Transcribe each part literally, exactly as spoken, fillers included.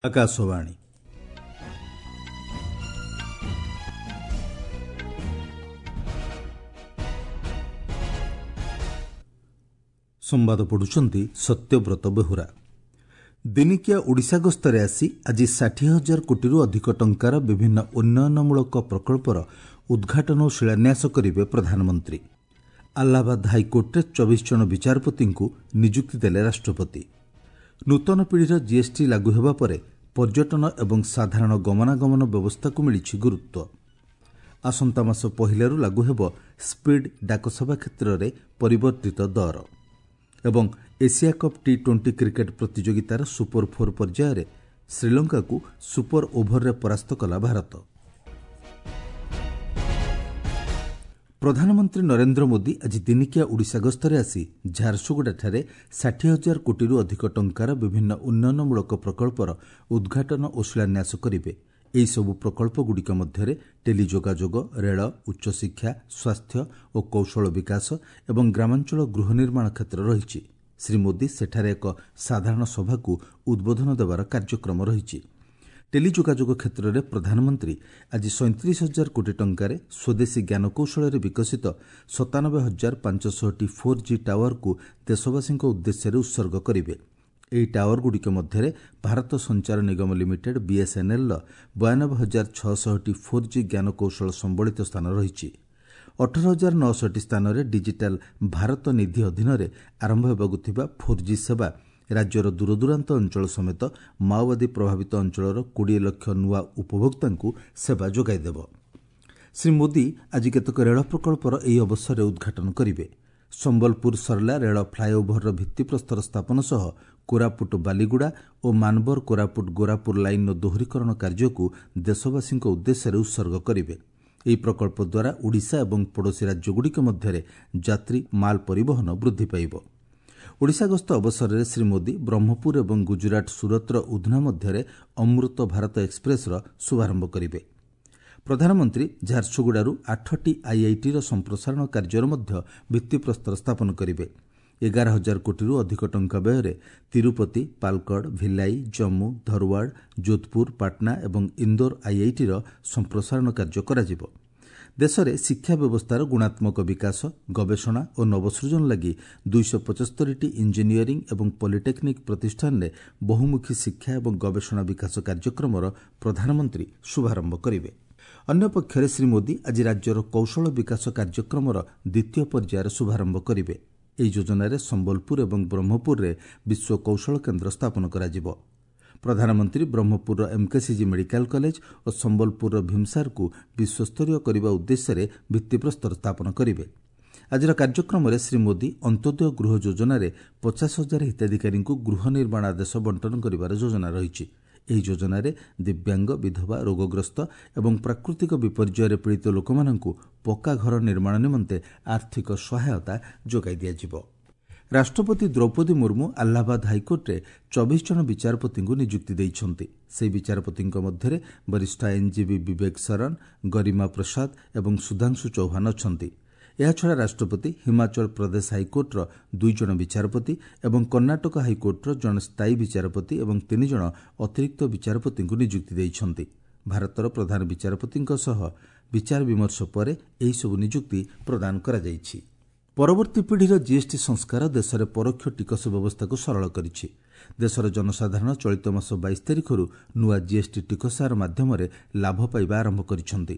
ଆକାଶବାଣୀ। ସମ୍ବାଦ ପଢୁଛନ୍ତି ସତ୍ୟବ୍ରତ ବେହୁରା। ଦିନିକିଆ ଓଡ଼ିଶା ଗସ୍ତରେ ଆସି ଆଜି ଷାଠିଏ ହଜାର କୋଟିରୁ ଅଧିକ ଟଙ୍କାର ବିଭିନ୍ନ ଉନ୍ନୟନମୂଳକ ପ୍ରକଳ୍ପର ଉଦ୍ଘାଟନ ଓ ଶିଳାନ୍ୟାସ କରିବେ ପ୍ରଧାନମନ୍ତ୍ରୀ। ଆହ୍ଲାବାଦ ହାଇକୋର୍ଟରେ ଚବିଶ ଜଣ ବିଚାରପତିଙ୍କୁ ନିଯୁକ୍ତି ଦେଲେ ରାଷ୍ଟ୍ରପତି। ନୂତନ ପିଢ଼ିର ଜିଏସ୍ଟି ଲାଗୁ ହେବା ପରେ ପର୍ଯ୍ୟଟନ ଏବଂ ସାଧାରଣ ଗମନାଗମନ ବ୍ୟବସ୍ଥାକୁ ମିଳିଛି ଗୁରୁତ୍ୱ। ଆସନ୍ତା ମାସ ପହିଲାରୁ ଲାଗୁ ହେବ ସ୍ପିଡ୍ ଡାକସେବା କ୍ଷେତ୍ରରେ ପରିବର୍ତ୍ତିତ ଦର। ଏବଂ Asia cup T twenty cricket ପ୍ରତିଯୋଗିତାର ସୁପର ଫୋର୍ ପର୍ଯ୍ୟାୟରେ ଶ୍ରୀଲଙ୍କାକୁ ସୁପର ଓଭରରେ ପରାସ୍ତ କଲା ଭାରତ। ପ୍ରଧାନମନ୍ତ୍ରୀ ନରେନ୍ଦ୍ର ମୋଦି ଆଜି ଦିନିକିଆ ଓଡ଼ିଶା ଗସ୍ତରେ ଆସି ଝାରସୁଗୁଡ଼ାଠାରେ ଷାଠିଏ ହଜାର କୋଟିରୁ ଅଧିକ ଟଙ୍କାର ବିଭିନ୍ନ ଉନ୍ନୟନମୂଳକ ପ୍ରକଳ୍ପର ଉଦ୍ଘାଟନ ଓ ଶିଳାନ୍ୟାସ କରିବେ। ଏହିସବୁ ପ୍ରକଳ୍ପଗୁଡ଼ିକ ମଧ୍ୟରେ ଟେଲି ଯୋଗାଯୋଗ, ରେଳ, ଉଚ୍ଚଶିକ୍ଷା, ସ୍ୱାସ୍ଥ୍ୟ ଓ କୌଶଳ ବିକାଶ ଏବଂ ଗ୍ରାମାଞ୍ଚଳ ଗୃହ ନିର୍ମାଣ କ୍ଷେତ୍ର ରହିଛି। ଶ୍ରୀ ମୋଦି ସେଠାରେ ଏକ ସାଧାରଣ ସଭାକୁ ଉଦ୍ବୋଧନ ଦେବାର କାର୍ଯ୍ୟକ୍ରମ ରହିଛି। ଟେଲି ଯୋଗାଯୋଗ କ୍ଷେତ୍ରରେ ପ୍ରଧାନମନ୍ତ୍ରୀ ଆଜି ସଇଁତିରିଶ ହଜାର କୋଟି ଟଙ୍କାରେ ସ୍ୱଦେଶୀ ଜ୍ଞାନକୌଶଳରେ ବିକଶିତ ସତାନବେ ହଜାର ପାଞ୍ଚଶହଟି ଫୋର୍ ଜି ଟାୱାରକୁ ଦେଶବାସୀଙ୍କ ଉଦ୍ଦେଶ୍ୟରେ ଉତ୍ସର୍ଗ କରିବେ। ଏହି ଟାୱାରଗୁଡ଼ିକ ମଧ୍ୟରେ ଭାରତ ସଞ୍ଚାର ନିଗମ ଲିମିଟେଡ୍ ବିଏସ୍ଏନ୍ଏଲ୍ର ବୟାନବେ ହଜାର ଛଅଶହଟି ଫୋର୍ ଜି ଜ୍ଞାନକୌଶଳ ସମ୍ବଳିତ ସ୍ଥାନ ରହିଛି। ଅଠର ହଜାର ନଅଶହଟି ସ୍ଥାନରେ ଡିଜିଟାଲ୍ ଭାରତ ନିଧି ଅଧୀନରେ ଆରମ୍ଭ ହେବାକୁ ଥିବା ଫୋର୍ ଜି ସେବା ରାଜ୍ୟର ଦୂରଦୂରାନ୍ତ ଅଞ୍ଚଳ ସମେତ ମାଓବାଦୀ ପ୍ରଭାବିତ ଅଞ୍ଚଳର କୋଡ଼ିଏ ଲକ୍ଷ ନୂଆ ଉପଭୋକ୍ତାଙ୍କୁ ସେବା ଯୋଗାଇଦେବ। ଶ୍ରୀ ମୋଦି ଆଜି କେତେକ ରେଳ ପ୍ରକଳ୍ପର ଏହି ଅବସରରେ ଉଦ୍ଘାଟନ କରିବେ। ସମ୍ବଲପୁର ସର୍ଲା ରେଳ ଫ୍ଲାଏଓଭରର ଭିତ୍ତିପ୍ରସ୍ତର ସ୍ଥାପନ ସହ କୋରାପୁଟ ବାଲିଗୁଡ଼ା ଓ ମାନବର କୋରାପୁଟ ଗୋରାପୁର ଲାଇନ୍ର ଦୋହରୀକରଣ କାର୍ଯ୍ୟକୁ ଦେଶବାସୀଙ୍କ ଉଦ୍ଦେଶ୍ୟରେ ଉତ୍ସର୍ଗ କରିବେ। ଏହି ପ୍ରକଳ୍ପ ଦ୍ୱାରା ଓଡ଼ିଶା ଏବଂ ପଡ଼ୋଶୀ ରାଜ୍ୟଗୁଡ଼ିକ ମଧ୍ୟରେ ଯାତ୍ରୀ ମାଲ ପରିବହନ ବୃଦ୍ଧି ପାଇବ। ଓଡ଼ିଶା ଗସ୍ତ ଅବସରରେ ଶ୍ରୀ ମୋଦି ବ୍ରହ୍ମପୁର ଏବଂ ଗୁଜରାଟ ସୁରତର ଉଧନା ମଧ୍ୟରେ ଅମୃତ ଭାରତ ଏକ୍ସପ୍ରେସ୍ର ଶୁଭାରମ୍ଭ କରିବେ। ପ୍ରଧାନମନ୍ତ୍ରୀ ଝାରସୁଗୁଡ଼ାରୁ ଆଠଟି ଆଇଆଇଟିର ସମ୍ପ୍ରସାରଣ କାର୍ଯ୍ୟର ମଧ୍ୟ ଭିତ୍ତିପ୍ରସ୍ତର ସ୍ଥାପନ କରିବେ। ଏଗାର ହଜାର କୋଟିରୁ ଅଧିକ ଟଙ୍କା ବ୍ୟୟରେ ତିରୁପତି, ପାଲକଡ଼, ଭିଲାଇ, ଜମ୍ମୁ, ଧରୱାଡ଼, ଯୋଧପୁର, ପାଟନା ଏବଂ ଇନ୍ଦୋର ଆଇଆଇଟିର ସମ୍ପ୍ରସାରଣ କାର୍ଯ୍ୟ କରାଯିବ। ଦେଶରେ ଶିକ୍ଷା ବ୍ୟବସ୍ଥାର ଗୁଣାତ୍ମକ ବିକାଶ, ଗବେଷଣା ଓ ନବସୃଜନ ଲାଗି ଦୁଇଶହ ପଚସ୍ତରୀଟି ଇଞ୍ଜିନିୟରିଂ ଏବଂ ପଲିଟେକ୍ନିକ୍ ପ୍ରତିଷ୍ଠାନରେ ବହୁମୁଖୀ ଶିକ୍ଷା ଏବଂ ଗବେଷଣା ବିକାଶ କାର୍ଯ୍ୟକ୍ରମର ପ୍ରଧାନମନ୍ତ୍ରୀ ଶୁଭାରମ୍ଭ କରିବେ। ଅନ୍ୟପକ୍ଷରେ ଶ୍ରୀ ମୋଦି ଆଜି ରାଜ୍ୟର କୌଶଳ ବିକାଶ କାର୍ଯ୍ୟକ୍ରମର ଦ୍ୱିତୀୟ ପର୍ଯ୍ୟାୟର ଶୁଭାରମ୍ଭ କରିବେ। ଏହି ଯୋଜନାରେ ସମ୍ବଲପୁର ଏବଂ ବ୍ରହ୍ମପୁରରେ ବିଶ୍ୱ କୌଶଳ କେନ୍ଦ୍ର ସ୍ଥାପନ କରାଯିବ। ପ୍ରଧାନମନ୍ତ୍ରୀ ବ୍ରହ୍ମପୁରର ଏମ୍କେସିଜି ମେଡିକାଲ କଲେଜ ଓ ସମ୍ବଲପୁରର ଭୀମସାରକୁ ବିଶ୍ୱସ୍ତରୀୟ କରିବା ଉଦ୍ଦେଶ୍ୟରେ ଭିତ୍ତିପ୍ରସ୍ତର ସ୍ଥାପନ କରିବେ। ଆଜିର କାର୍ଯ୍ୟକ୍ରମରେ ଶ୍ରୀ ମୋଦି ଅନ୍ତ୍ୟୋଦୟ ଗୃହ ଯୋଜନାରେ ପଚାଶ ହଜାର ହିତାଧିକାରୀଙ୍କୁ ଗୃହ ନିର୍ମାଣ ଆଦେଶ ବଣ୍ଟନ କରିବାର ଯୋଜନା ରହିଛି। ଏହି ଯୋଜନାରେ ଦିବ୍ୟାଙ୍ଗ, ବିଧବା, ରୋଗଗ୍ରସ୍ତ ଏବଂ ପ୍ରାକୃତିକ ବିପର୍ଯ୍ୟୟରେ ପୀଡ଼ିତ ଲୋକମାନଙ୍କୁ ପକ୍କା ଘର ନିର୍ମାଣ ନିମନ୍ତେ ଆର୍ଥିକ ସହାୟତା ଯୋଗାଇ ଦିଆଯିବ। ରାଷ୍ଟ୍ରପତି ଦ୍ରୌପଦୀ ମୁର୍ମୁ ଆହ୍ଲାବାଦ ହାଇକୋର୍ଟରେ ଚବିଶ ଜଣ ବିଚାରପତିଙ୍କୁ ନିଯୁକ୍ତି ଦେଇଛନ୍ତି। ସେହି ବିଚାରପତିଙ୍କ ମଧ୍ୟରେ ବରିଷ୍ଠ ଆଇନଜୀବୀ ବିବେକ ଶରଣ, ଗରିମା ପ୍ରସାଦ ଏବଂ ସୁଧାଂଶୁ ଚୌହାନ ଅଛନ୍ତି। ଏହାଛଡ଼ା ରାଷ୍ଟ୍ରପତି ହିମାଚଳ ପ୍ରଦେଶ ହାଇକୋର୍ଟର ଦୁଇ ଜଣ ବିଚାରପତି ଏବଂ କର୍ଣ୍ଣାଟକ ହାଇକୋର୍ଟର ଜଣେ ସ୍ଥାୟୀ ବିଚାରପତି ଏବଂ ତିନି ଜଣ ଅତିରିକ୍ତ ବିଚାରପତିଙ୍କୁ ନିଯୁକ୍ତି ଦେଇଛନ୍ତି। ଭାରତର ପ୍ରଧାନ ବିଚାରପତିଙ୍କ ସହ ବିଚାର ବିମର୍ଶ ପରେ ଏହିସବୁ ନିଯୁକ୍ତି ପ୍ରଦାନ କରାଯାଇଛି। ପରବର୍ତ୍ତୀ ପିଢ଼ିର ଜିଏସ୍ଟି ସଂସ୍କାର ଦେଶରେ ପରୋକ୍ଷ ଟିକସ ବ୍ୟବସ୍ଥାକୁ ସରଳ କରିଛି। ଦେଶର ଜନସାଧାରଣ ଚଳିତ ମାସ ବାଇଶ ତାରିଖରୁ ନୂଆ ଜିଏସ୍ଟି ଟିକସ ହାର ମାଧ୍ୟମରେ ଲାଭ ପାଇବା ଆରମ୍ଭ କରିଛନ୍ତି।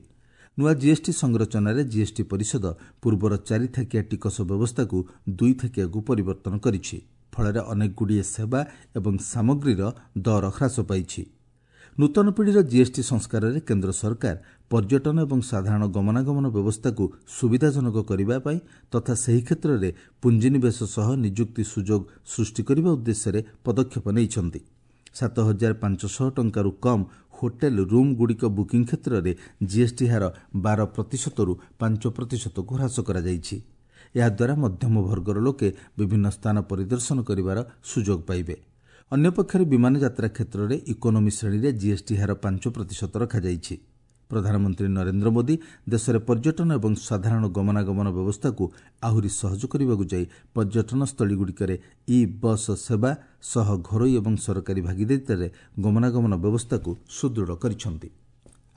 ନୂଆ ଜିଏସ୍ଟି ସଂରଚନାରେ ଜିଏସ୍ଟି ପରିଷଦ ପୂର୍ବର ଚାରିଥାକିଆ ଟିକସ ବ୍ୟବସ୍ଥାକୁ ଦୁଇ ଥାକିଆକୁ ପରିବର୍ତ୍ତନ କରିଛି। ଫଳରେ ଅନେକଗୁଡ଼ିଏ ସେବା ଏବଂ ସାମଗ୍ରୀର ଦର ହ୍ରାସ ପାଇଛି। ନୂତନ ପିଢ଼ିର ଜିଏସ୍ଟି ସଂସ୍କାରରେ କେନ୍ଦ୍ର ସରକାର ପର୍ଯ୍ୟଟନ ଏବଂ ସାଧାରଣ ଗମନାଗମନ ବ୍ୟବସ୍ଥାକୁ ସୁବିଧାଜନକ କରିବା ପାଇଁ ତଥା ସେହି କ୍ଷେତ୍ରରେ ପୁଞ୍ଜିନିବେଶ ସହ ନିଯୁକ୍ତି ସୁଯୋଗ ସୃଷ୍ଟି କରିବା ଉଦ୍ଦେଶ୍ୟରେ ପଦକ୍ଷେପ ନେଇଛନ୍ତି। ସାତ ହଜାର ପାଞ୍ଚଶହ ଟଙ୍କାରୁ କମ୍ ହୋଟେଲ ରୁମ୍ଗୁଡ଼ିକ ବୁକିଂ କ୍ଷେତ୍ରରେ ଜିଏସ୍ଟି ହାର ବାର ପ୍ରତିଶତରୁ ପାଞ୍ଚ ପ୍ରତିଶତକୁ ହ୍ରାସ କରାଯାଇଛି। ଏହାଦ୍ୱାରା ମଧ୍ୟମ ବର୍ଗର ଲୋକେ ବିଭିନ୍ନ ସ୍ଥାନ ପରିଦର୍ଶନ କରିବାର ସୁଯୋଗ ପାଇବେ। ଅନ୍ୟପକ୍ଷରେ ବିମାନ ଯାତ୍ରା କ୍ଷେତ୍ରରେ ଇକୋନୋମି ଶ୍ରେଣୀରେ ଜିଏସ୍ଟି ହାର ପାଞ୍ଚ ପ୍ରତିଶତ ରଖାଯାଇଛି। ପ୍ରଧାନମନ୍ତ୍ରୀ ନରେନ୍ଦ୍ର ମୋଦି ଦେଶରେ ପର୍ଯ୍ୟଟନ ଏବଂ ସାଧାରଣ ଗମନାଗମନ ବ୍ୟବସ୍ଥାକୁ ଆହୁରି ସହଜ କରିବାକୁ ଯାଇ ପର୍ଯ୍ୟଟନସ୍ଥଳୀଗୁଡ଼ିକରେ ଇ ବସ୍ ସେବା ସହ ଘରୋଇ ଏବଂ ସରକାରୀ ଭାଗିଦାରିତାରେ ଗମନାଗମନ ବ୍ୟବସ୍ଥାକୁ ସୁଦୃଢ଼ କରିଛନ୍ତି।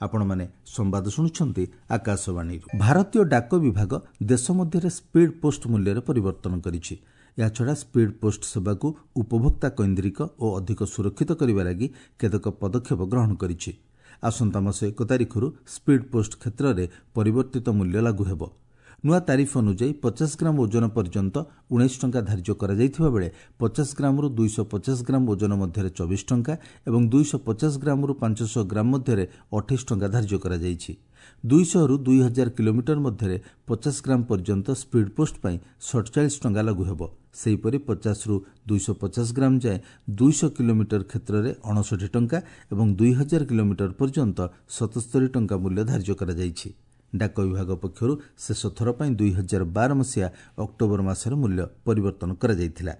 ଆପଣମାନେ ସମ୍ବାଦ ଶୁଣୁଛନ୍ତି ଆକାଶବାଣୀରୁ। ଭାରତୀୟ ଡାକ ବିଭାଗ ଦେଶ ମଧ୍ୟରେ ସ୍ପିଡ୍ ପୋଷ୍ଟ ମୂଲ୍ୟରେ ପରିବର୍ତ୍ତନ କରିଛି। ଏହାଛଡ଼ା ସ୍ପିଡ୍ ପୋଷ୍ଟ ସେବାକୁ ଉପଭୋକ୍ତା କୈନ୍ଦ୍ରିକ ଓ ଅଧିକ ସୁରକ୍ଷିତ କରିବା ଲାଗି କେତେକ ପଦକ୍ଷେପ ଗ୍ରହଣ କରିଛି। ଆସନ୍ତା ମାସ ଏକ ତାରିଖରୁ ସ୍ପିଡ୍ ପୋଷ୍ଟ କ୍ଷେତ୍ରରେ ପରିବର୍ତ୍ତିତ ମୂଲ୍ୟ ଲାଗୁ ହେବ। ନୂଆ ତାରିଫ ଅନୁଯାୟୀ ପଚାଶ ଗ୍ରାମ ଓଜନ ପର୍ଯ୍ୟନ୍ତ ଉଣେଇଶ ଟଙ୍କା ଧାର୍ଯ୍ୟ କରାଯାଇଥିବା ବେଳେ ପଚାଶ ଗ୍ରାମରୁ ଦୁଇଶହ ପଚାଶ ଗ୍ରାମ ଓଜନ ମଧ୍ୟରେ ଚବିଶ ଟଙ୍କା ଏବଂ ଦୁଇଶହ ପଚାଶ ଗ୍ରାମରୁ ପାଞ୍ଚଶହ ଗ୍ରାମ ମଧ୍ୟରେ ଅଠେଇଶ ଟଙ୍କା ଧାର୍ଯ୍ୟ କରାଯାଇଛି। ଦୁଇଶହରୁ ଦୁଇ ହଜାର କିଲୋମିଟର ମଧ୍ୟରେ ପଚାଶ ଗ୍ରାମ ପର୍ଯ୍ୟନ୍ତ ସ୍ପିଡ୍ ପୋଷ୍ଟ ପାଇଁ ସତଚାଳିଶ ଟଙ୍କା ଲାଗୁ ହେବ। ସେହିପରି ପଚାଶରୁ ଦୁଇଶହ ପଚାଶ ଗ୍ରାମ ଯାଏଁ ଦୁଇଶହ କିଲୋମିଟର କ୍ଷେତ୍ରରେ ଅଣଷଠି ଟଙ୍କା ଏବଂ ଦୁଇ ହଜାର କିଲୋମିଟର ପର୍ଯ୍ୟନ୍ତ ସତସ୍ତରୀ ଟଙ୍କା ମୂଲ୍ୟ ଧାର୍ଯ୍ୟ କରାଯାଇଛି। ଡାକ ବିଭାଗ ପକ୍ଷରୁ ଶେଷ ଥର ପାଇଁ ଦୁଇ ହଜାର ବାର ମସିହା ଅକ୍ଟୋବର ମାସରେ ମୂଲ୍ୟ ପରିବର୍ତ୍ତନ କରାଯାଇଥିଲା।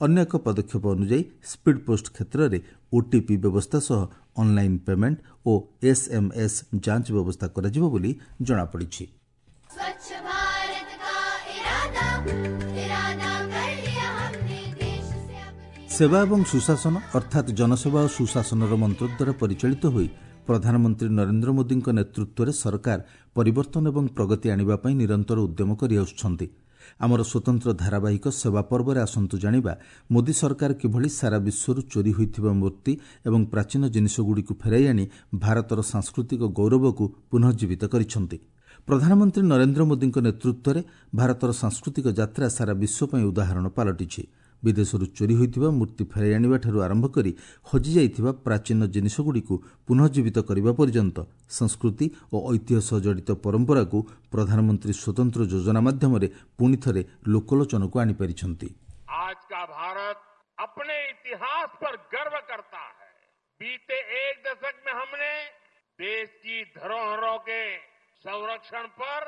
ଅନ୍ୟ ଏକ ପଦକ୍ଷେପ ଅନୁଯାୟୀ ସ୍ପିଡ୍ ପୋଷ୍ଟ କ୍ଷେତ୍ରରେ ଓଟିପି ବ୍ୟବସ୍ଥା ସହ ଅନ୍ଲାଇନ୍ ପେମେଣ୍ଟ ଓ ଏସ୍ଏମ୍ଏସ୍ ଯାଞ୍ଚ ବ୍ୟବସ୍ଥା କରାଯିବ ବୋଲି ଜଣାପଡ଼ିଛି। ସେବା ଏବଂ ସୁଶାସନ ଅର୍ଥାତ୍ ଜନସେବା ଓ ସୁଶାସନର ମନ୍ତ୍ର ଦ୍ୱାରା ପରିଚାଳିତ ହୋଇ ପ୍ରଧାନମନ୍ତ୍ରୀ ନରେନ୍ଦ୍ର ମୋଦିଙ୍କ ନେତୃତ୍ୱରେ ସରକାର ପରିବର୍ତ୍ତନ ଏବଂ ପ୍ରଗତି ଆଣିବା ପାଇଁ ନିରନ୍ତର ଉଦ୍ୟମ କରିଆସୁଛନ୍ତି। ଆମର ସ୍ୱତନ୍ତ୍ର ଧାରାବାହିକ ସେବା ପର୍ବରେ ଆସନ୍ତୁ ଜାଣିବା ମୋଦି ସରକାର କିଭଳି ସାରା ବିଶ୍ୱରୁ ଚୋରି ହୋଇଥିବା ମୂର୍ତ୍ତି ଏବଂ ପ୍ରାଚୀନ ଜିନିଷଗୁଡ଼ିକୁ ଫେରାଇ ଆଣି ଭାରତର ସାଂସ୍କୃତିକ ଗୌରବକୁ ପୁନଃଜୀବିତ କରିଛନ୍ତି। ପ୍ରଧାନମନ୍ତ୍ରୀ ନରେନ୍ଦ୍ର ମୋଦିଙ୍କ ନେତୃତ୍ୱରେ ଭାରତର ସାଂସ୍କୃତିକ ଯାତ୍ରା ସାରା ବିଶ୍ୱ ପାଇଁ ଉଦାହରଣ ପାଲଟିଛି। ବିଦେଶରୁ ଚୋରି ହୋଇଥିବା ମୂର୍ତ୍ତି ଫେରାଇ ଆଣିବାଠାରୁ ଆରମ୍ଭ କରି ହଜିଯାଇଥିବା ପ୍ରାଚୀନ ଜିନିଷଗୁଡ଼ିକୁ ପୁନଃଜୀବିତ କରିବା ପର୍ଯ୍ୟନ୍ତ ସଂସ୍କୃତି ଓ ଐତିହ୍ୟ ସହ ଜଡ଼ିତ ପରମ୍ପରାକୁ ପ୍ରଧାନମନ୍ତ୍ରୀ ସ୍ୱତନ୍ତ୍ର ଯୋଜନା ମାଧ୍ୟମରେ ପୁଣି ଥରେ ଲୋକଲୋଚନକୁ ଆଣିପାରିଛନ୍ତି। आज का भारत अपने इतिहास पर गर्व करता है। बीते एक दशक में हमने देश की धरोहरों के संरक्षण पर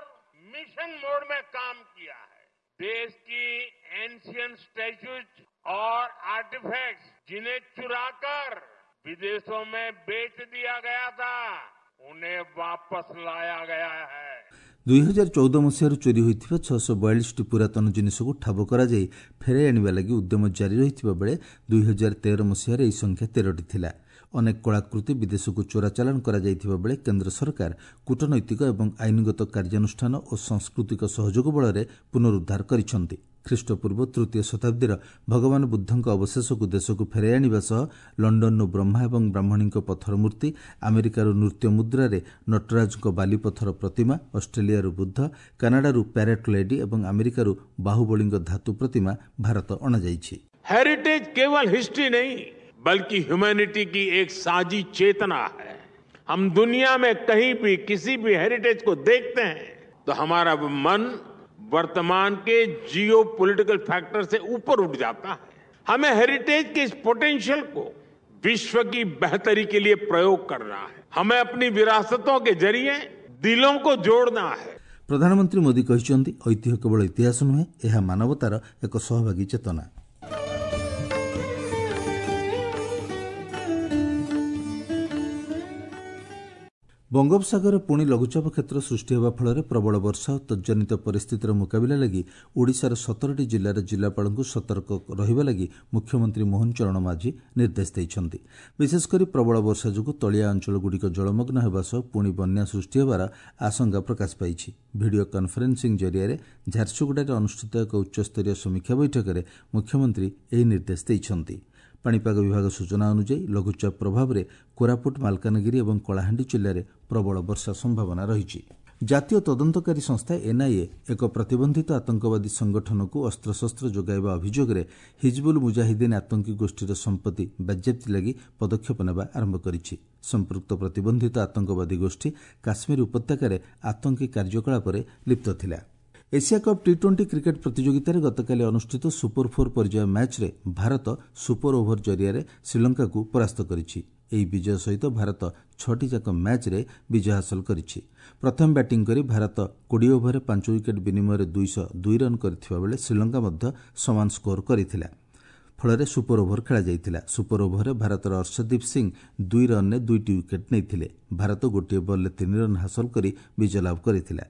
मिशन मोड में काम किया है। देश की एंशियंट स्टैच्यूज और आर्टिफैक्ट्स जिन्हें चुराकर विदेशों में बेच दिया गया था, उन्हें वापस लाया गया है। ଦୁଇ ହଜାର ଚଉଦ ମସିହାରୁ ଚୋରି ହୋଇଥିବା ଛଅଶହ ବୟାଳିଶଟି ପୁରାତନ ଜିନିଷକୁ ଠାବ କରାଯାଇ ଫେରାଇ ଆଣିବା ଲାଗି ଉଦ୍ୟମ ଜାରି ରହିଥିବା ବେଳେ ଦୁଇ ହଜାର ତେର ମସିହାରେ ଏହି ସଂଖ୍ୟା ତେରଟି ଥିଲା। ଅନେକ କଳାକୃତି ବିଦେଶକୁ ଚୋରାଚାଲାଣ କରାଯାଇଥିବା ବେଳେ କେନ୍ଦ୍ର ସରକାର କୂଟନୈତିକ ଏବଂ ଆଇନଗତ କାର୍ଯ୍ୟାନୁଷ୍ଠାନ ଓ ସାଂସ୍କୃତିକ ସହଯୋଗ ବଳରେ ପୁନରୁଦ୍ଧାର କରିଛନ୍ତି। ଖ୍ରୀଷ୍ଟପୂର୍ବ ତୃତୀୟ ଶତାବ୍ଦୀର ଭଗବାନ ବୁଦ୍ଧଙ୍କ ଅବଶେଷକୁ ଦେଶକୁ ଫେରାଇ ଆଣିବା ସହ ଲଣ୍ଡନରୁ ବ୍ରହ୍ମା ଏବଂ ବ୍ରାହ୍ମଣୀଙ୍କ ପଥର ମୂର୍ତ୍ତି, ଆମେରିକାରୁ ନୃତ୍ୟ ମୁଦ୍ରାରେ ନଟରାଜଙ୍କ ବାଲିପଥର ପ୍ରତିମା, ଅଷ୍ଟ୍ରେଲିଆରୁ ବୁଦ୍ଧ, କାନାଡାରୁ ପ୍ୟାରେଟ୍ ଲେଡି ଏବଂ ଆମେରିକାରୁ ବାହୁବଳୀଙ୍କ ଧାତୁ ପ୍ରତିମା ଭାରତ ଅଣାଯାଇଛି। हेरिटेज केवल हिस्ट्री नहीं बल्कि ह्यूमैनिटी की एक साझी चेतना है। हम दुनिया में कहीं भी किसी भी हेरिटेज को देखते हैं तो हमारा मन वर्तमान के जियो पॉलिटिकल फैक्टर से ऊपर उठ जाता है। हमें हेरिटेज के इस पोटेंशियल को विश्व की बेहतरी के लिए प्रयोग करना है। हमें अपनी विरासतों के जरिए दिलों को जोड़ना है। ପ୍ରଧାନମନ୍ତ୍ରୀ ମୋଦି କହିଛନ୍ତି, ଐତିହ୍ୟ କେବଳ ଇତିହାସ ନୁହେଁ, ଏହା ମାନବତାର ଏକ ସହଭାଗୀ ଚେତନା। ବଙ୍ଗୋପସାଗରରେ ପୁଣି ଲଘୁଚାପ କ୍ଷେତ୍ର ସୃଷ୍ଟି ହେବା ଫଳରେ ପ୍ରବଳ ବର୍ଷା ଓ ତଜ୍ଜନିତ ପରିସ୍ଥିତିର ମୁକାବିଲା ଲାଗି ଓଡ଼ିଶାର ସତରଟି ଜିଲ୍ଲାର ଜିଲ୍ଲାପାଳଙ୍କୁ ସତର୍କ ରହିବା ଲାଗି ମୁଖ୍ୟମନ୍ତ୍ରୀ ମୋହନ ଚରଣ ମାଝୀ ନିର୍ଦ୍ଦେଶ ଦେଇଛନ୍ତି। ବିଶେଷକରି ପ୍ରବଳ ବର୍ଷା ଯୋଗୁଁ ତଳିଆ ଅଞ୍ଚଳଗୁଡ଼ିକ ଜଳମଗ୍ନ ହେବା ସହ ପୁଣି ବନ୍ୟା ସୃଷ୍ଟି ହେବାର ଆଶଙ୍କା ପ୍ରକାଶ ପାଇଛି। ଭିଡ଼ିଓ କନ୍ଫରେନ୍ସିଂ ଜରିଆରେ ଝାରସୁଗୁଡ଼ାରେ ଅନୁଷ୍ଠିତ ଏକ ଉଚ୍ଚସ୍ତରୀୟ ସମୀକ୍ଷା ବୈଠକରେ ମୁଖ୍ୟମନ୍ତ୍ରୀ ଏହି ନିର୍ଦ୍ଦେଶ ଦେଇଛନ୍ତି। ପାଣିପାଗ ବିଭାଗ ସୂଚନା ଅନୁଯାୟୀ ଲଘୁଚାପ ପ୍ରଭାବରେ କୋରାପୁଟ, ମାଲକାନଗିରି ଏବଂ କଳାହାଣ୍ଡି ଜିଲ୍ଲାରେ ପ୍ରବଳ ବର୍ଷା ସମ୍ଭାବନା ରହିଛି। ଜାତୀୟ ତଦନ୍ତକାରୀ ସଂସ୍ଥା ଏନ୍ଆଇଏ ଏକ ପ୍ରତିବନ୍ଧିତ ଆତଙ୍କବାଦୀ ସଂଗଠନକୁ ଅସ୍ତ୍ରଶସ୍ତ୍ର ଯୋଗାଇବା ଅଭିଯୋଗରେ ହିଜବୁଲ୍ ମୁଜାହିଦ୍ଦିନ୍ ଆତଙ୍କୀ ଗୋଷ୍ଠୀର ସମ୍ପତ୍ତି ବାଜ୍ୟାପ୍ତି ଲାଗି ପଦକ୍ଷେପ ନେବା ଆରମ୍ଭ କରିଛି। ସମ୍ପୃକ୍ତ ପ୍ରତିବନ୍ଧିତ ଆତଙ୍କବାଦୀ ଗୋଷ୍ଠୀ କାଶ୍ମୀର ଉପତ୍ୟକାରେ ଆତଙ୍କୀ କାର୍ଯ୍ୟକଳାପରେ ଲିପ୍ତ ଥିଲା। Asia cup T twenty cricket ପ୍ରତିଯୋଗିତାରେ ଗତକାଲି ଅନୁଷ୍ଠିତ ସୁପର ଫୋର୍ ପର୍ଯ୍ୟାୟ ମ୍ୟାଚ୍ରେ ଭାରତ ସୁପର ଓଭର ଜରିଆରେ ଶ୍ରୀଲଙ୍କାକୁ ପରାସ୍ତ କରିଛି। ଏହି ବିଜୟ ସହିତ ଭାରତ ଛଅଟି ଯାକ ମ୍ୟାଚ୍ରେ ବିଜୟ ହାସଲ କରିଛି। ପ୍ରଥମେ ବ୍ୟାଟିଂ କରି ଭାରତ କୋଡ଼ିଏ ଓଭରରେ ପାଞ୍ଚ ୱିକେଟ୍ ବିନିମୟରେ ଦୁଇଶହ ଦୁଇ ରନ୍ କରିଥିବା ବେଳେ ଶ୍ରୀଲଙ୍କା ମଧ୍ୟ ସମାନ ସ୍କୋର କରିଥିଲା। ଫଳରେ ସୁପର ଓଭର ଖେଳାଯାଇଥିଲା। ସୁପର ଓଭରରେ ଭାରତର ଅର୍ଶଦୀପ ସିଂ ଦୁଇ ରନ୍ରେ ଦୁଇଟି ୱିକେଟ୍ ନେଇଥିଲେ। ଭାରତ ଗୋଟିଏ ବଲ୍ରେ ତିନି ରନ୍ ହାସଲ କରି ବିଜୟ ଲାଭ କରିଥିଲା।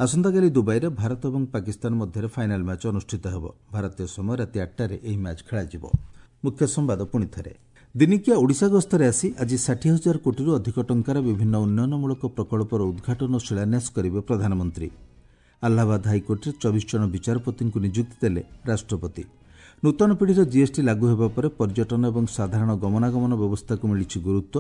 ଆସନ୍ତାକାଲି ଦୁବାଇରେ ଭାରତ ଏବଂ ପାକିସ୍ତାନ ମଧ୍ୟରେ ଫାଇନାଲ୍ ମ୍ୟାଚ୍ ଅନୁଷ୍ଠିତ ହେବ। ଭାରତୀୟ ସମୟ ରାତି ଆଠଟାରେ ଏହି ମ୍ୟାଚ୍ ଖେଳାଯିବ। ମୁଖ୍ୟ ସମ୍ବାଦ ପୁଣି ଥରେ। ଦିନିକିଆ ଓଡ଼ିଶା ଗସ୍ତରେ ଆସି ଆଜି ଷାଠିଏ ହଜାର କୋଟିରୁ ଅଧିକ ଟଙ୍କାର ବିଭିନ୍ନ ଉନ୍ନୟନମୂଳକ ପ୍ରକଳ୍ପର ଉଦ୍ଘାଟନ ଓ ଶିଳାନ୍ୟାସ କରିବେ ପ୍ରଧାନମନ୍ତ୍ରୀ। ଆହ୍ଲାବାଦ ହାଇକୋର୍ଟରେ ଚବିଶ ଜଣ ବିଚାରପତିଙ୍କୁ ନିଯୁକ୍ତି ଦେଲେ ରାଷ୍ଟ୍ରପତି। ନୂତନ ପିଢ଼ିର ଜିଏସ୍ଟି ଲାଗୁ ହେବା ପରେ ପର୍ଯ୍ୟଟନ ଏବଂ ସାଧାରଣ ଗମନାଗମନ ବ୍ୟବସ୍ଥାକୁ ମିଳିଛି ଗୁରୁତ୍ୱ।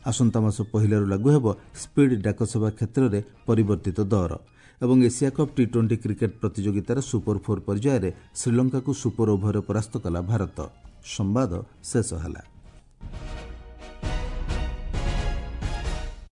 ଆସନ୍ତା ମାସ ପହିଲାରୁ ଲାଗୁ ହେବ ସ୍ପିଡ୍ ଡାକସେବା କ୍ଷେତ୍ରରେ ପରିବର୍ତ୍ତିତ ଦର। ଏବଂ Asia cup T twenty cricket ପ୍ରତିଯୋଗିତାର ସୁପର ଫୋର୍ ପର୍ଯ୍ୟାୟରେ ଶ୍ରୀଲଙ୍କାକୁ ସୁପର ଓଭରରେ ପରାସ୍ତ କଲା ଭାରତ। ସମ୍ବାଦ ଶେଷ ହେଲା।